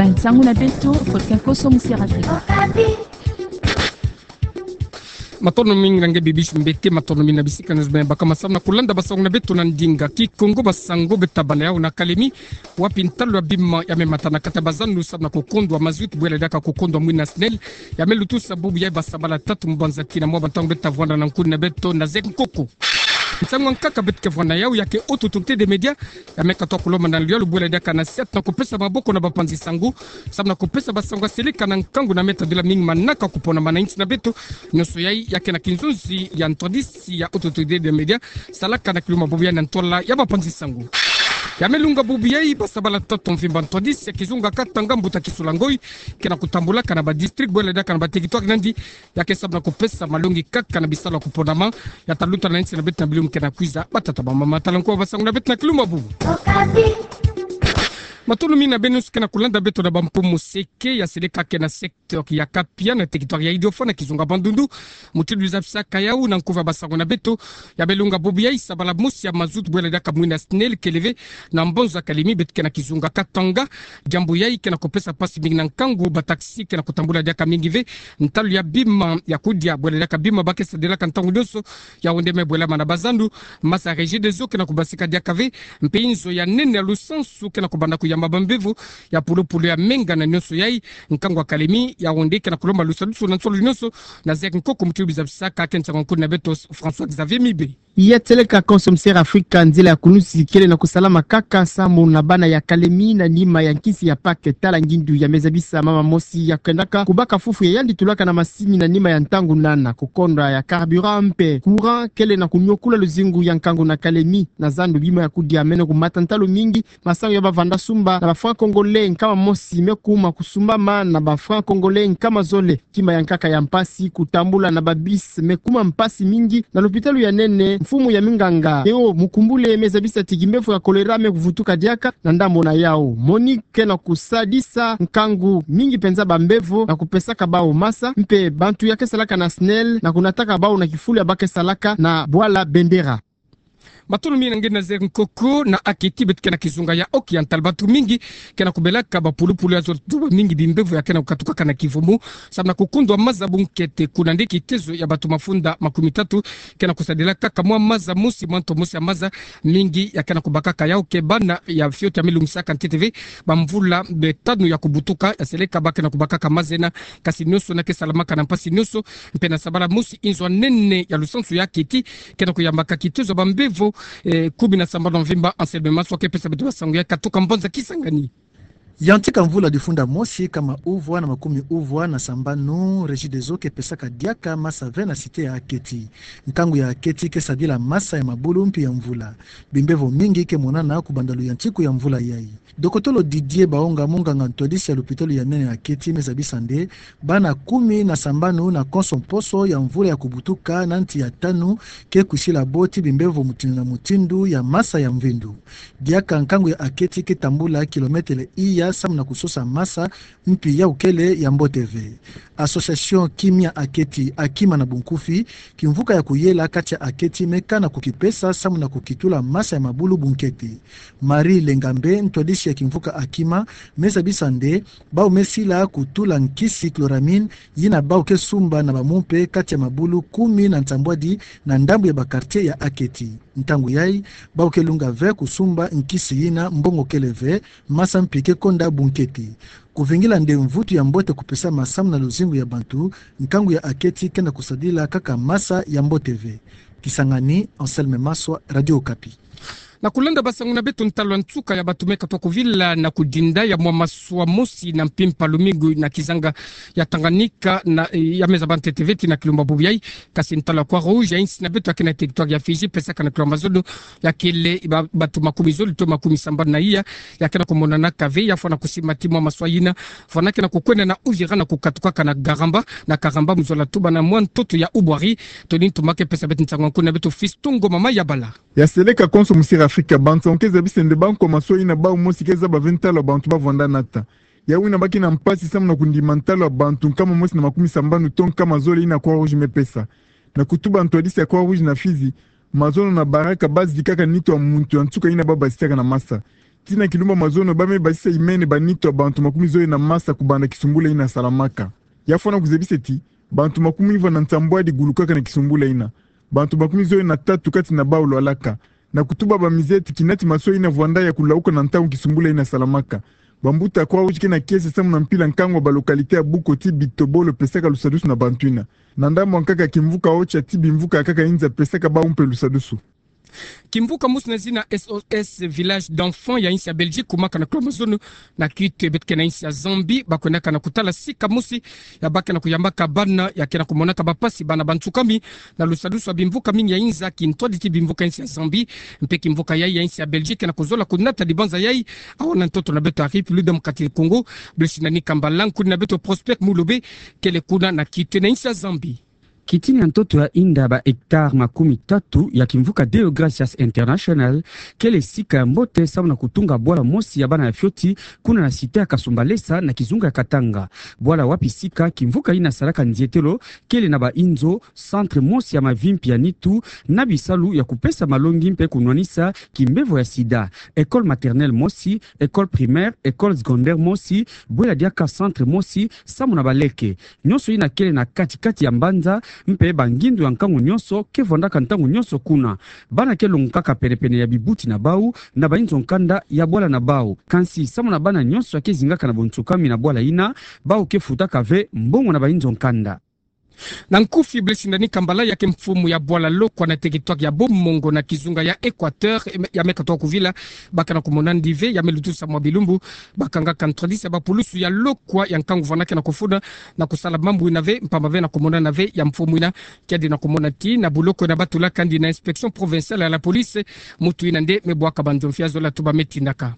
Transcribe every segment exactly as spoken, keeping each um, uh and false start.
Nsangu na beto, Faustin Koso, Musière Afrique. Matondo mingi na nge Bibiche Mbete, matondo mingi na bisika nyonso beno baka masamu na kulanda basangu na beto na ndinga Kikongo. Basangu beto tabana yau na Kalemi, wapi ntalu ya bima ya me mata na kati ya bazandu samu na kukondwa mazout, bwela diaka kukondwa mwina SNEL, ya me lutusa bubu yayi basabala tatu mu banza kina mwa bantangu beto tavwanda na nkuni na beto na zeke nkoko. Nsangu ya nkaka beto ke vwanda yau ya ke Haute Autorité des Médias, ya me katuka kulomba na luyalu bwela diaka na siata na kupesa maboko na bapanzi sangu, samu na kupesa basangu ya seleka na nkangu na me tadila mingi manaka kuponama na insi na beto. Nyonso yayi ya ke na kinzonzi ya ntwadisi ya Haute Autorité des Médias, salaka na kiluma bubu yayi na ntwala ya bapanzi sangu. Ya me lunga bubu yayi basabala tatu mvimba ntwadisi ya kizunga Katanga, mbuta Kisula Ngoyi ke na kutambulaka na badistrict bwela diaka na baterritoire nandi, ya ke samu na kupesa malongi kaka na bisalu ya kuponama ya taluta na insi na beto na bilumbu ke na kwiza. Batata, bamama, tala nko basangu na beto na kiluma bubu. Matondo mingi na beno nyonso ke na kulanda beto na bampumu seke ya seleka ke na secteur ya Kapia na territoire ya Idiofa na kizunga Bandundu. Mutindu bizabisaka yau na nkufi ya basangu na beto, ya me lunga bubu yayi sabala mosi ya mazout bwela diaka mwina SNEL ke lever na mbonza Kalemi beto ke na kizunga Katanga. Diambu yayi ke na kupesa mpasi mingi na nkangu, bataxi ke na kutambula diaka mingi ve. Ntalu ya bima ya kudia bwela diaka bima ba ke sadilaka ntangu nyonso, yau nde me bwelama na bazandu. Masa Regideso ke na kubasika diaka ve, mpe inzo ya nene ya lusansu ke na kubanda kuyamba bambevo ya pulupulu ya menga na nyonso yayi. Nkangu ya Kalemi yau nde ke na kulomba lusadusu na nsolo nyonso na zeke nkoko. Mutindu bizabisaka, ke nsangu ya nkuni na beto François Xavier Mibe. Ya seleka konso Musière Afrique, nzila ya kunusi kele na kusalama kaka samu na bana ya Kalemi na nima ya nkisi ya Pâques. Tala ngindu ya me zabisa mama mosi ya kendaka kubaka fufu ya yandi tulaka na masini na nima ya ntangu nana. Kukondwa ya carburant mpe courant kele na kuniokula luzingu ya nkangu na Kalemi. Na zandu, bima ya kudia mene kumata ntalu mingi. Masangu ya bavanda sumba na ba francs congolais nkama mosi me kuma kusumbama na ba francs congolais nkama zole. Kima ya nkaka ya mpasi, kutambula na ba bus me kuma mpasi mingi. Na lopitalo ya nene, mfumu ya minganga Théo Mukumbule me zabisa ti kimbevo ya choléra me kuvutuka diaka na ndambo na yau. Monique ke na kusadisa nkangu mingi mpenza bambevo na kupesaka bau masa, mpe bantu ya ke salaka na SNEL na kunataka bau na kifulu ya ba ke salaka na bwala Bendera. Matondo mingi na nge na zeke nkoko. Na Aketi beto ke na kizunga ya Haut-Oriental, bantu mingi ke na kubelaka bapulupulu ya zole, tuba mingi bimbevo ya ke na kukatukaka na kivumu samu na kukundwa maza bunkete. Kuna nde kitezo ya bantu mafunda makumi tatu ke na kusadila kaka mwa maza mosi, mwa nto mosi ya maza. Mingi ya ke na kubakaka yau ke bana ya fioti ya me lungisaka ntete ve bamvula mitanu ya kubutuka, ya seleka ba ke na kubakaka maza yina. Kasi nyonso yina ke salamaka na mpasi nyonso. Mpe na sabala mosi, inzo ya nene ya lusansu ya Aketi ke na kuyambaka kitezo ya bambevo, eh, kumi na sambanu mvimba. Anselme Maswa ke pesa beto basangu ya katuka mbonza Kisangani. Yantika mvula difunda mosi nkama uvwa na makumi uvwa na sambanu, Regideso ke pesaka diaka masa ve na cité ya Aketi. Nkangu ya Aketi ke sadila masa ya mabulu mpi ya mvula. Bimbevo mingi ke monana kubanda luyantiku ya mvula yayi. Dokotolo Didier Baonga, munganga ntwadisi ya lopitalo ya nene ya Aketi, me zabisa nde bana kumi na sambanu na konso mposo ya mvula ya kubutuka na nti ya tanu ke kwisila bo ti bimbevo mutindu na mutindu ya masa ya mvindu. Diaka nkangu ya Aketi ke tambula kilometele iya samu na kusosa masa mpi ya ukele ya mbote ve. Association Kimia Aketi, Akima na bunkufi, kimvuka ya kuyela kati ya Aketi, me kana kukipesa samu na kukitula masa ya mabulu bunkete. Marie Lengambe, ntwadisi ya kimvuka Akima, me zabisa nde bau me sila kutula nkisi chloramine, yina bau ke sumba na bamumpe kati ya mabulu kumi na nsambwadi na ndambu ya ba quartier ya Aketi. Ntangu yayi, bau ke lunga ve kusumba nkisi yina, mbongo kele ve, masa mpi ke konda bunkete. Kuvingila nde mvutu ya mbote kupesama samu na luzingu ya bantu, nkangu ya Aketi ke na kusadila kaka masa ya mbote ve. Kisangani, Anselme Maswa, Radio Okapi. Na kulanda basangu na beto, ntalu ya nsuka ya bantu me katuka kuvila na kudinda ya mwa maswa mosi na mpimpa lumingu na kizanga ya Tanganyika na, eh, ya me zaba ntete ve ti na kilumbu bubu yayi. Kasi ntalu ya Croix-Rouge ya insi na beto ya ke na territoire ya Fidji pesaka na kilumbu mazono ya kele ba, bantu makumi zole to makumi sambanu na iya ya ke na kumonanaka ve, ya fwana kusimba ti mwa maswa yina, fwana ke na kukwenda na Uvira na kukatukaka na Garamba, na Karamba, mu zola tubana mwa ntoto ya Ubwari. Tony Ntuma ke pesa beto nsangu ya nkuni na beto Fiston Ngoma Mayabala. Ya seleka konso Musière Afrique, bantu ke zabisa nde ba nkwa maswa yina bau mosi ke zaba ve ntalu ya bantu bavwanda nata. Yawu yina ba ke na mpasi samu na kundima ntalu ya bantu nkama mosi na makumi sambanu to nkama zole yina Croix-Rouge me pesa. Na kutuba ntwadisi ya Croix-Rouge na Fidji, mazono na baraka ba zikaka nitu ya muntu ya nsuka yina ba basisaka na masa. Tii na kilumbu ya mazono, ba me basisa imene ba nitu ya bantu makumi zole na masa kubanda kisumbula ina salamaka. Ya fwana kuzebisa ti bantu makumi ivwa na nsambwadi gulukaka na kisumbula ina. Bantu makumi zole na tatu kati na bau lwalaka. Na kutuba ba mize ti kinati maso ina vwanda ya kulauka na ntangu kisumbula ina salamaka. Bambuta Croix-Rouge ke na kiese samu na mpila nkangu ya ba localité ya buku ti bitobolo pesaka lusadusu na bantu ina. Na ndambu ya nkaka, kimvuka Ocha ti bimvuka ya nkaka inza pesaka bau mpe lusadusu. Kimvuka mosi na zina S O S Village d'Enfants ya insi ya Belgique, kumaka na klo mazono na kite beto ke na insi ya Zambie, ba kwendaka na kutala sika mosi ya ba ke na kuyambaka bana ya ke na kumonaka bapasi, bana bansukami, na lusadusu ya bimvuka mingi ya inza, kintwadi ti bimvuka insi ya Zambie, mpe kimvuka yai ya insi ya Belgique ke na kuzola kunata dibanza yai awa na ntoto na beto ya République Démocratique du Congo. Blaise Nani Kambala, nkudi na beto Prosper Mulobe, kele kuna na kite na insi ya Zambie. Kitini ya ntoto ya inda ba hectare makumi tatu ya kimvuka Deo Gracias International, kele sika ya mbote samu na kutunga bwala mosi ya bana ya fioti, kuna na cité ya Kasumbalesa na kizunga ya Katanga. Bwala wapi sika kimvuka ina salaka nzietelo, kele na ba inzo, centre mosi ya mavimpi ya nitu, na bisalu ya kupesa malongi mpe kunwanisa kimbevo ya sida. École maternelle mosi, école primaire, école secondaire mosi, bwela diaka centre mosi, samu na baleke. Nyonso ina kele na kati-kati ya mbanza, mpe bangindu ya nkangu nyonso ke vwandaka ntangu nyonso kuna. Bana ke longokaka pene-pene ya bibuti na bau, na ba inzo nkanda ya bwala na bau. Kansi samu na bana nyonso ya ke zingaka na bonsukami na bwala ina, bau ke futaka ve mbongo na ba inzo nkanda. Na nkufi, Blaise Nani Kambala, ya ke mfumu ya bwala lokwa na territoire ya Bomongo na kizunga ya Équateur, ya me katoka kuvila, ba ke na kumona nde ve, ya me lutusa mwa bilumbu, ba kangaka ntwadisi ya bapulusu ya lokwa ya nkangu vwanda ke na kufuna na kusala mambu ina ve, mpamba ve na kumona na ve ya mfumu ina, kiadi na kumona ti na buloko ina ba tulaka ndi na inspection provinciale ya la police, mutu ina nde me bwaka banzomfi ya zola tuba me tindaka.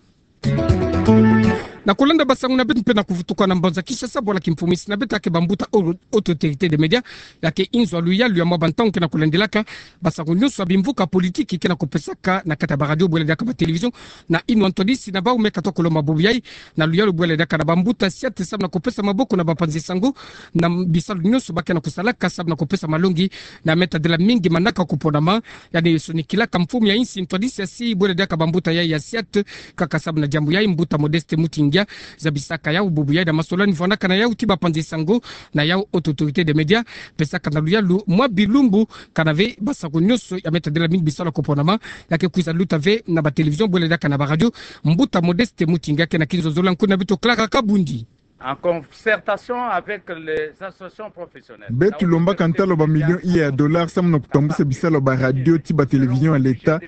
Na kulanda basangu na beto mpe na kuvutuka na mbanza Kinshasa, bwala kimfumu insi na beto ya ke bambuta au-, autorité de média, ya ke inzo ya luyalu ya mwa bantangu ke na kulandilaka basangu nyonso ya bimvuka politique ke na kupesaka na kati ya baradio, bwela diaka batelevizio, na inwa ntwadisi na bau me katoka kulomba bubu yai, na luyalu bwela diaka na bambuta siate samu na kupesa maboko na bapanzi sango, na bisalu nyonso ba ke na kusalaka samu na kupesa malongi, na me tadila mingi manaka kuponama, yandi sonikilaka mfumu ya insi ntwadisi ya si bwela diaka bambuta yai ya siate, kaka samu na diambu yai, mbuta Modeste Mutingia zabisaka yau bubu yai na masolani vwandaka na yau ti bapanzi sango, na yau haute autorité de média, pesaka na luyalu mwa bilumbu, kana ve basango nyonso ya me tadila mingi bisalu ya kuponama, ya ke kwiza luta ve na batelevizio, bwela diaka na baradio. Mbuta Modeste Mutingia ke na kinzonzolo ya nkudi na beto Clara Kabundi. En concertation avec les associations professionnelles. Beto lombaka ntalo ba millions iya ya dollars samu na kutambusa bisalu ya baradio ti batelevizio ya l'État,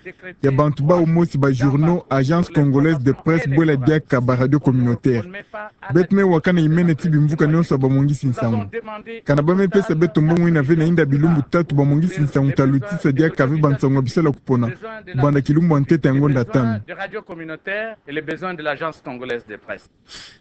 ya bantu bau mosi, ba journaux, Agence Congolaise de Presse, bwela diaka baradio communautaire. Beto me waka na imene ti bimvuka nyonso ya bamongisi nsangu. Kana ba me pesa beto mbongo ina ve na inda bilumbu tatu, bamongisi nsangu ta lutisa diaka ve bansangu ya bisalu ya kupona, banda kilumbu ya ntete ya ngonda tanu.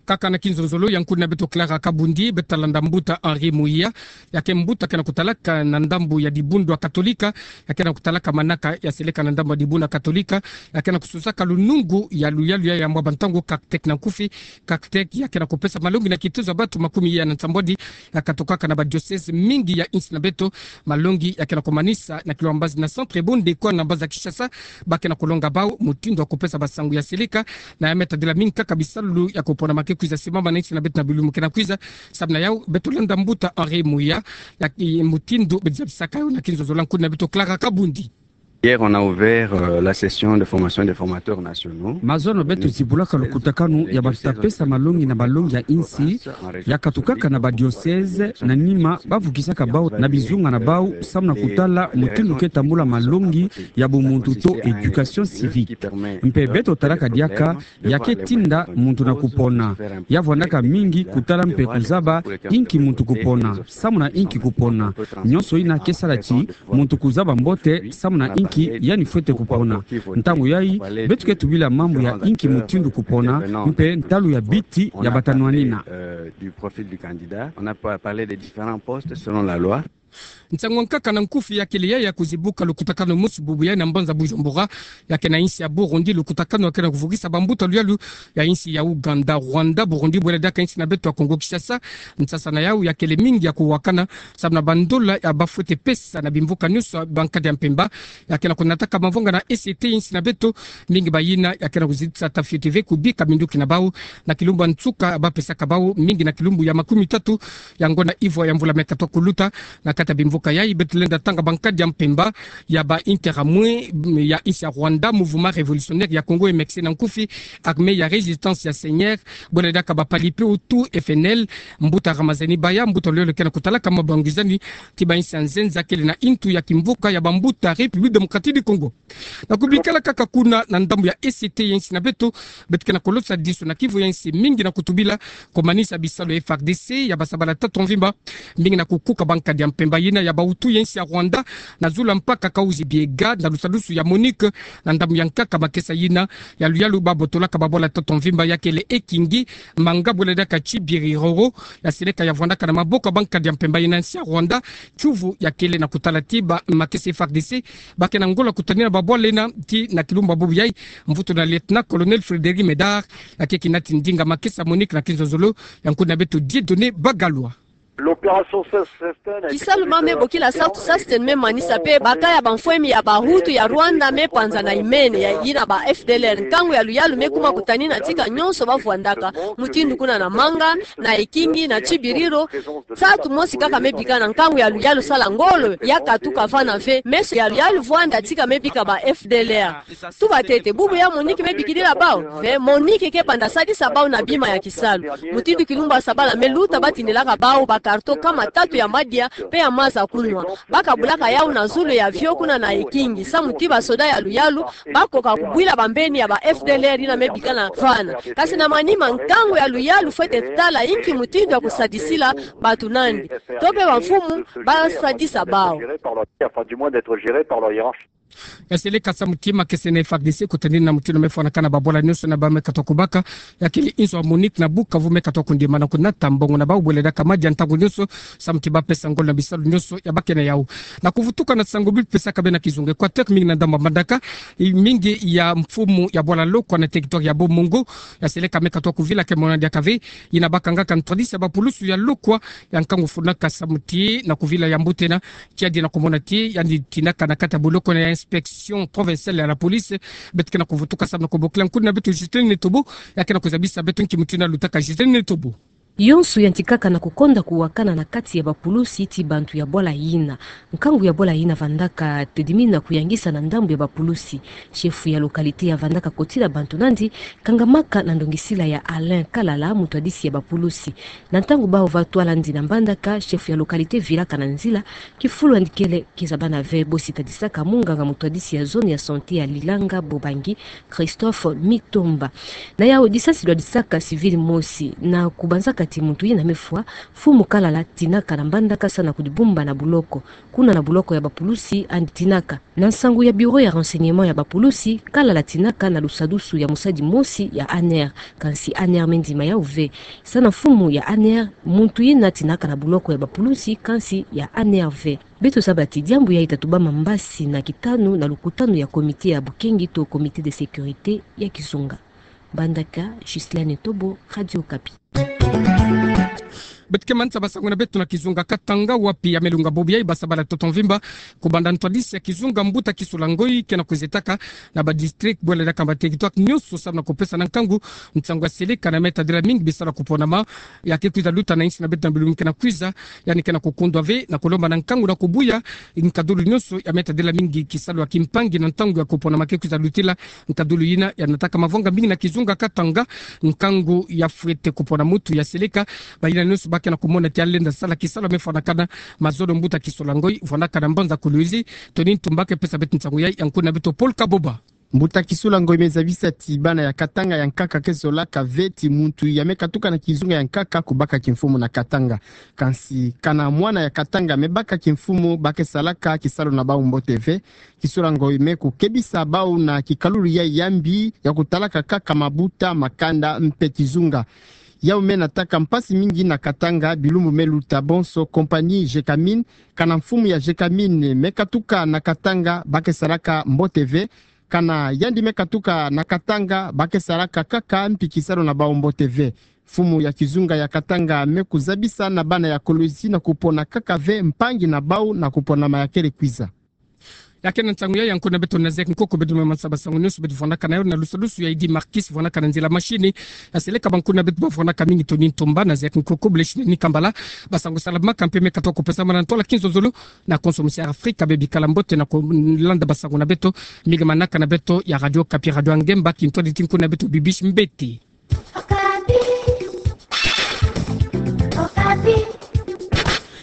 Kaka na kinzonzolo ya nkudi na beto Clara Kabundi, beto landa mbuta Henri Muia, ya ke mbuta ke na kutalaka na ndambu ya dibundu ya Katolika, ya ke na kutalaka manaka ya seleka na ndambu ya dibundu ya Katolika, ya ke na kususaka lunungu ya luyalu ya mwa bantangu, CACTEC na nkufi. CACTEC ya ke na kupesa malongi na kituza bantu makumi iya na nsambwadi ya katokaka na badiocèse mingi ya insi na beto, malongi ya ke na kumanisa na kilo ya mbazi na centre Bondekwa na mbanza Kinshasa, ba ke na kulonga bau mutindu ya kupesa basangu ya seleka, na ya me tadila mingi kaka bisalu ya kuponama ke kwiza simama na insi na beto na bilumbu ke na kwiza. Samu na yau, beto landa mbuta Henri Muia, ya ke mutindu beto zabisaka yau na kinzonzolo ya nkudi na beto Clara Kabundi. Hier, on a ouvert, euh, la session de formation des formateurs nationaux. Mazono beto zibulaka lukutakanu ya bantu ta pesa malongi na balongi ya insi, ya katukaka na badiocèse, na nima ba vukisaka bau na bizunga na bau, samu na kutala mutindu ke tambula malongi ya bumuntu to éducation civique. Mpe beto talaka diaka, ya ke tinda muntu na kupona. Ya vwandaka mingi kutala mpe kuzaba inki muntu kupona, samu na inki kupona. Nyonso ina ke sala ti muntu kuzaba mbote samu na inki yandi fwete kupona. Ntangu yai, beto ke tubila mambu ya inki mutindu kupona, mpe ntalu ya biti ya bata nwanina. Euh, du profil du candidat. On a pa-, parlé des différents postes selon la loi. Nsangu ya nkaka na nkufi ya kele ya, ya kuzibuka lukutakanu mosi bubu ya na mbanza Bujumbura, ya ke na insi ya Burundi, lukutakanu ya ke na kuvukisa bambuta luyalu ya insi ya Ouganda, Rwanda, Burundi, bwela diaka insi na beto ya Congo Kinshasa. Nsasa na yau ya kele mingi ya kuwakana, samu na bandola ya bafwete pesa na bimvuka nionso bankadi ya mpemba, ya ke na kunataka mavanga na E C T insi na beto, mingi bayina ya ke na kuzitisa tafioti ve kubika minduki na bau, na kilumbu ya nsuka bapesaka bau, mingi na kilumbu ya makumitatu ya ngonda ivwa ya mvula me katoa kuluta, na kati ya bimvuka yayi beto lenda tanga bankadi ya mpemba ya ba Interahamwe ya insi ya Rwanda, Mouvement Révolutionnaire ya Congo, M X C na nkufi, Armée ya Résistance ya Seigneur, bwela diaka ba Palipe Hutu, F N L, mbuta Ramazani Baya, mbuta luyalu ke na kutalaka mabangwizani ti ba insi ya nzenza kele na intu ya kimvuka ya bambuta République Démocratique du Congo. Na kubikala kaka kuna na ndambu ya E C T ya insi na beto, beto ke na kolosa diso na kivu ya insi mingi na kutubila komanisa bisalu ya F A R D C ya basabala tatu mvimba, mingi na kukuka bankadi ya mpemba yina ya ba Hutu ya insi ya Rwanda, na zulu ya mpaka Kahuzi-Biega, na lusadusu ya MONUC, na ndambu ya nkaka makesa yina ya luyalu babotolaka babwala tatu mvimba ya kele ekingi, manga bwela diaka tibiri roro, ya seleka ya vwandaka na maboko ya bankadi ya mpemba yina insi ya Rwanda, kiuvu ya kele na kutala ti ba makesa F A R D C ba ke na ngola kutanina babwala yina ti na kilumbu ya bubu yayi, mvutu na Lieutenant-colonel Frédéric Médard, ya ke kinati ndinga makesa MONUC na kinzonzolo ya nkuna beto Dieudonné Bagalwa. L'opération Saint-, Saint-Estène a été Kisalu ma me bokila Saint-Estène me manisa pe baka ya bamfwemi ya ba Hutu ya Rwanda me panza na imene ya yina ba F D L R. Nkangu ya luyalu me kuma kutanina tika nionso bavwandaka, mutindu kuna na manga, na ekingi, na tibiriro. Nsatu mosi kaka me bika na nkangu ya luyalu sala ngolo ya katuka vana ve, meso ya luyalu vwanda tika me bika ba F D L R. Tuba ntete, bubu ya MONUC me bikidila bau? Ve, MONUC ke banda sadisa bau na bima ya kisalu. Mutindu kilumbu ya sabala me luta batindilaka bau ba carton kama tatu ya madia pe ya maza kunwa. Ba kabulaka yau na zulu ya avion kuna na ekingi, samu ti basoda ya luyalu bakoka kubwila bambeni ya ba F D L R yina me bika na vana. Kasi na manima, nkangu ya luyalu fwete tala inki mutindu ya kusadisila bantu nandi. To pe bamfumu basadisa bau. Enfin, du moins d'être géré par leur hiérarchie. Ya seleka samu ti makesa na F A R D C kutanina mutindu me fwanakana babwala nionso na ba me katoa kubaka, ya kele inzo ya MONUC na Bukavu me katoa kundima na kunata mbongo na bau bwela diaka madia ntangu nionso, samu ti bapesa ngolo na bisalu nionso ya ba ke na yau. Na kuvutuka na sango bipesaka bena kizunga Équateur, mingi na ndambu ya Mbandaka, i mingi ya mfumu ya bwala lokwa na territoire ya Bomongo, ya seleka me katoa kuvila ke mona diaka ve, yina bakangaka ntwadisi ya bapulusu ya lokwa, ya nkangu fwanaka samu ti na kuvila ya mbuta ena, kiadi na kumona ti yandi tinaka na kati ya boloko na ya inspection provinciale ya la police, beto ke na kuvutuka samu na kubokila nkuna beto Justine Netobo, ya ke na kuzabisa beto nki mutindu lutaka. Justine Netobo. Yonso yantikaka na kukonda kuwakana na kati ya bapulusi ti bantu ya bwala yina. Nkangu ya bwala yina vandaka tedimina kuyangisa na ndambu ya bapulusi. Chef ya localité ya vandaka kotila bantu nandi kangamaka na ndongisila ya Alain Kalala, mutwadisi ya bapulusi. Na ntangu bau va twalandi na Mbandaka, chef ya localité vilaka na nzila, kifulu yandi kele kizabana ve, bosi tadisaka munganga mutwadisi ya zone ya santé ya Lilanga Bobangi, Christophe Mitomba. Na yau disasi dwadisaka civil mosi, na kubanzaka ti muntu yina me fwa, mfumu Kalala tinaka na Mbandaka sa na kudibumba na boloko. Kuna na boloko ya bapulusi yandi tinaka. Na nsangu ya bureau ya renseignement ya bapulusi, Kalala tinaka na lusadusu ya musadi mosi ya A N R, kansi A N R me ndima yau ve. Sa na mfumu ya A N R, muntu yina tinaka na boloko ya bapulusi, kansi ya A N R ve. Beto zaba ti diambu yayi ta tubama mbasi na kitanu na lukutanu ya comité ya bukengi to comité de sécurité ya kizunga. Mbandaka, Justine Netobo, Radio Okapi. Beto ke manisa basango na beto na kizunga Katanga, wapi ya me lunga bobo yayi basabala toto mvimba, kubanda ntwadisi ya kizunga mbuta Kisula Ngoyi ke na kuzetaka na ba district bwela diaka ba territoire nionso samu na kupesa na nkangu nsangu ya seleka na me tadila mingi bisalu ya kuponama ya ke kwiza luta na insi na beto na bilumbu ke na kwiza, yandi ke na kukundwa ve na kulomba na nkangu na kubuya nkadulu nionso ya me tadila mingi kisalu ya kimpangi na ntangu ya kuponama ke kwiza lutila. Nkadulu yina ya nataka mavanga mingi na kizunga Katanga, nkangu ya fwete kupona mutu ya seleka, bayina nionso ba ke na kumona ti ya lenda sala kisalu ya me fwanakana mazono mbuta Kisula Ngoyi, fwanakana mbanza Kolwezi, Tony Ntumba ke pesa beto nsangu yayi, ya nkuna beto Paul Kaboba. Mbuta Kisula Ngoyi me zabisa ti bana ya Katanga ya nkaka ke zolaka ve ti muntu ya me katuka na kizunga ya nkaka kubaka kimfumu na Katanga. Kansi kana mwana ya Katanga me baka kimfumu, ba ke salaka kisalu na bau mbote ve. Kisula Ngoyi me kukebisa bau na kikalulu yayi ya mbi ya kutalaka kaka mabuta, makanda mpe kizunga. Yau me nataka mpasi mingi na Katanga bilumbu me luta bonso, compagnie Gécamines, kana mfumu ya Gécamines me katuka na Katanga, ba ke salaka mbote ve. Kana yandi me katuka na Katanga, ba ke salaka kaka mpi kisalu na bau mbote ve. Mfumu ya kizunga ya Katanga me kuzabisa na bana ya Kolwezi na kupona kaka ve mpangi na bau na kupona ma ya kele kwiza. Ya kena ntangu ya, ya nkuna beto na zeyi nkoko beto, me mansaba sango nyonso beto vwanaka na yo na lusalusu ya Idi Markis vwanaka na nzila mashini. Na seleka ba nkuna beto ba vwanaka mingi toni ntomba na zeyi nkoko, bleshine ni kambala. Ba sango sala maka mpe me katoa ko pesa mana ntwala kinzonzolo. Na konso musi Afrika be bikala mbote na kolanda ba sango na beto. Mi gamanaka na beto ya Radio Okapi, radio ya ngemba, kintwadi ti nkuna beto Bibiche Mbete. Okapi. Okapi.